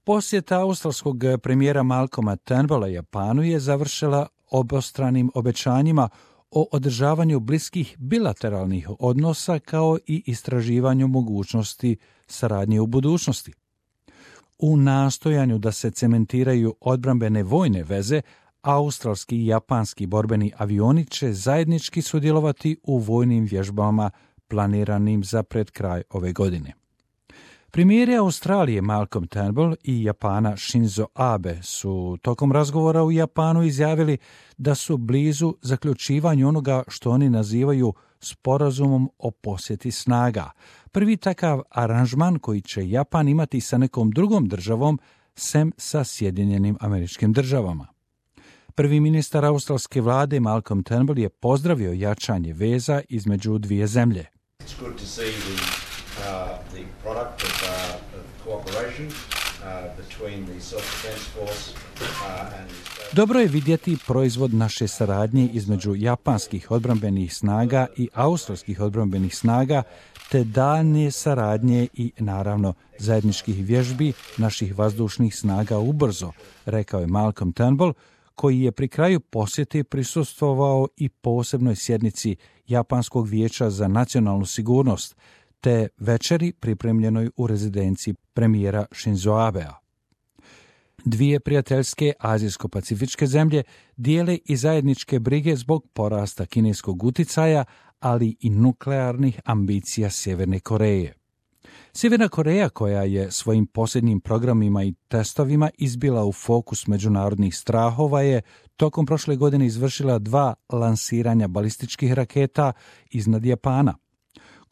Posjeta australskog premijera Malcolma Turnbulla Japanu je završila obostranim obećanjima o održavanju bliskih bilateralnih odnosa kao i istraživanju mogućnosti saradnje u budućnosti. U nastojanju da se cementiraju odbrambene vojne veze, australski i japanski borbeni avioni će zajednički sudjelovati u vojnim vježbama planiranim za pred kraj ove godine. Premijeri Australije Malcolm Turnbull i Japana Shinzo Abe su tokom razgovora u Japanu izjavili da su blizu zaključivanju onoga što oni nazivaju sporazumom o posjeti snaga. Prvi takav aranžman koji će Japan imati sa nekom drugom državom, sem sa Sjedinjenim Američkim Državama. Prvi ministar australske vlade Malcolm Turnbull je pozdravio jačanje veza između dvije zemlje. The product of cooperation between the self-defense force and Dobro je vidjeti proizvod naše saradnje između japanskih odbrambenih snaga i australskih odbrambenih snaga, te daljnje saradnje i, naravno, zajedničkih vježbi naših vazdušnih snaga ubrzo, rekao je Malcolm Turnbull, koji je pri kraju posjete prisustvovao i posebnoj sjednici Japanskog vijeća za nacionalnu sigurnost, te večeri pripremljenoj u rezidenciji premijera Shinzo Abea. Dvije prijateljske azijsko-pacifičke zemlje dijele i zajedničke brige zbog porasta kineskog uticaja, ali i nuklearnih ambicija Sjeverne Koreje. Sjeverna Koreja, koja je svojim posljednjim programima i testovima izbila u fokus međunarodnih strahova, je tokom prošle godine izvršila 2 lansiranja balističkih raketa iznad Japana.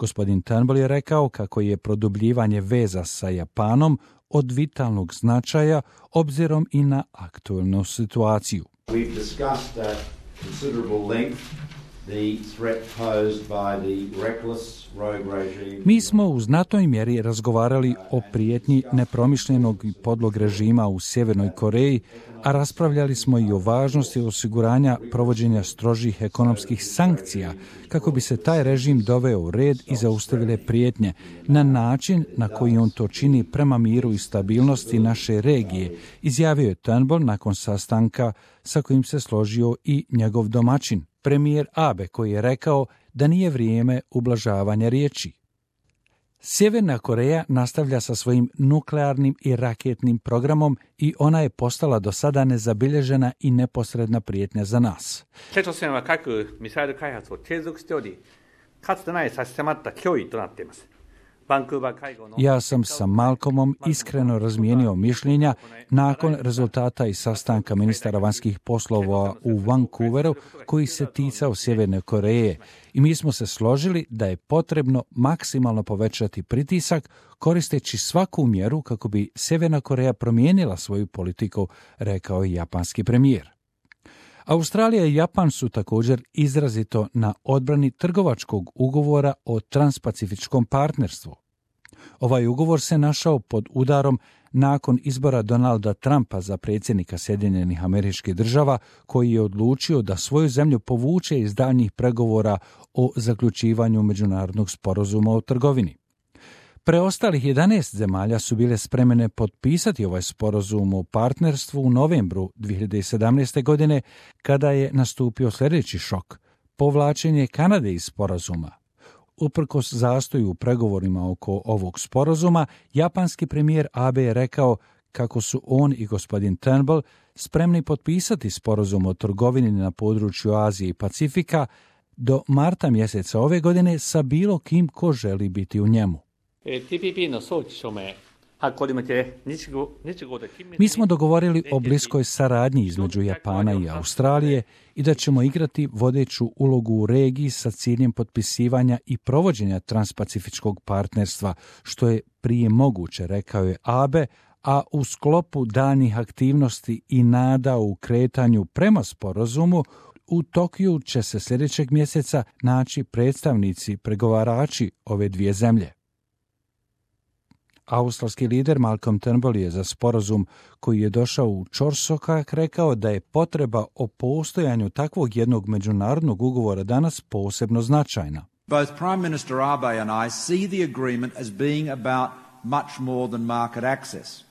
Gospodin Turnbull je rekao kako je produbljivanje veza sa Japanom od vitalnog značaja obzirom i na aktualnu situaciju. we've discussed at considerable length the threat posed by the reckless rogue regime. Mi smo u znatnoj mjeri razgovarali o prijetnji nepromišljenog i podlog režima u Sjevernoj Koreji, a raspravljali smo i o važnosti osiguranja provođenja strožih ekonomskih sankcija kako bi se taj režim doveo u red i zaustavile prijetnje na način na koji on to čini prema miru i stabilnosti naše regije, izjavio je Turnbull nakon sastanka sa kojim se složio i njegov domaćin, premijer Abe, koji je rekao da nije vrijeme ublažavanja riječi. Sjeverna Koreja nastavlja sa svojim nuklearnim i raketnim programom i ona je postala do sada nezabilježena i neposredna prijetnja za nas. 北朝鮮は核・ミサイル開発を継続しており、かつてない差し迫った脅威となっています。バンクーバー会合の Ja sam sa Malcolmom iskreno razmijenio mišljenja nakon rezultata i sastanka ministara vanjskih poslova u Vancouveru koji se ticao Sjeverne Koreje i mi smo se složili da je potrebno maksimalno povećati pritisak koristeći svaku mjeru kako bi Sjeverna Koreja promijenila svoju politiku, rekao je japanski premijer. Australija i Japan su također izrazito na odbrani trgovačkog ugovora o transpacifičkom partnerstvu. Ovaj ugovor se našao pod udarom nakon izbora Donalda Trumpa za predsjednika Sjedinjenih Američkih Država, koji je odlučio da svoju zemlju povuče iz daljnjih pregovora o zaključivanju međunarodnog sporazuma o trgovini. Preostalih 11 zemalja su bile spremne potpisati ovaj sporazum o partnerstvu u novembru 2017. godine, kada je nastupio sljedeći šok – povlačenje Kanade iz sporazuma. Uprkos zastoju u pregovorima oko ovog sporazuma, japanski premijer Abe je rekao kako su on i gospodin Turnbull spremni potpisati sporazum o trgovini na području Azije i Pacifika do marta mjeseca ove godine sa bilo kim ko želi biti u njemu. TPP の早期署名発行に向け日豪で緊密に Mi smo dogovorili o bliskoj saradnji između Japana i Australije i da ćemo igrati vodeću ulogu u regiji sa ciljem potpisivanja i provođenja transpacifičkog partnerstva, što je prije moguće, rekao je Abe, a u sklopu daljnjih aktivnosti i nada u kretanju prema sporazumu, u Tokiju će se sljedećeg mjeseca naći predstavnici pregovarači ove dvije zemlje. Australski lider Malcolm Turnbull je za sporazum koji je došao u ćorsokak rekao da je potreba o postojanju takvog jednog međunarodnog ugovora danas posebno značajna. Both Prime Minister Abe and I see the agreement as being about much more than market access.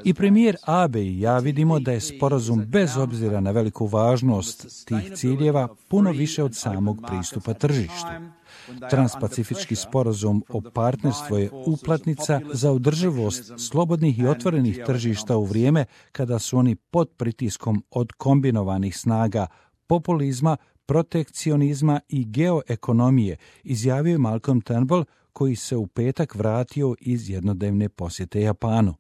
I premijer Abe i ja vidimo da je sporazum bez obzira na veliku važnost tih ciljeva puno više od samog pristupa tržištu. Transpacifički sporazum o partnerstvu je uplatnica za održivost slobodnih i otvorenih tržišta u vrijeme kada su oni pod pritiskom od kombinovanih snaga populizma, protekcionizma i geoekonomije, izjavio je Malcolm Turnbull, koji se u petak vratio iz jednodnevne posjete Japanu.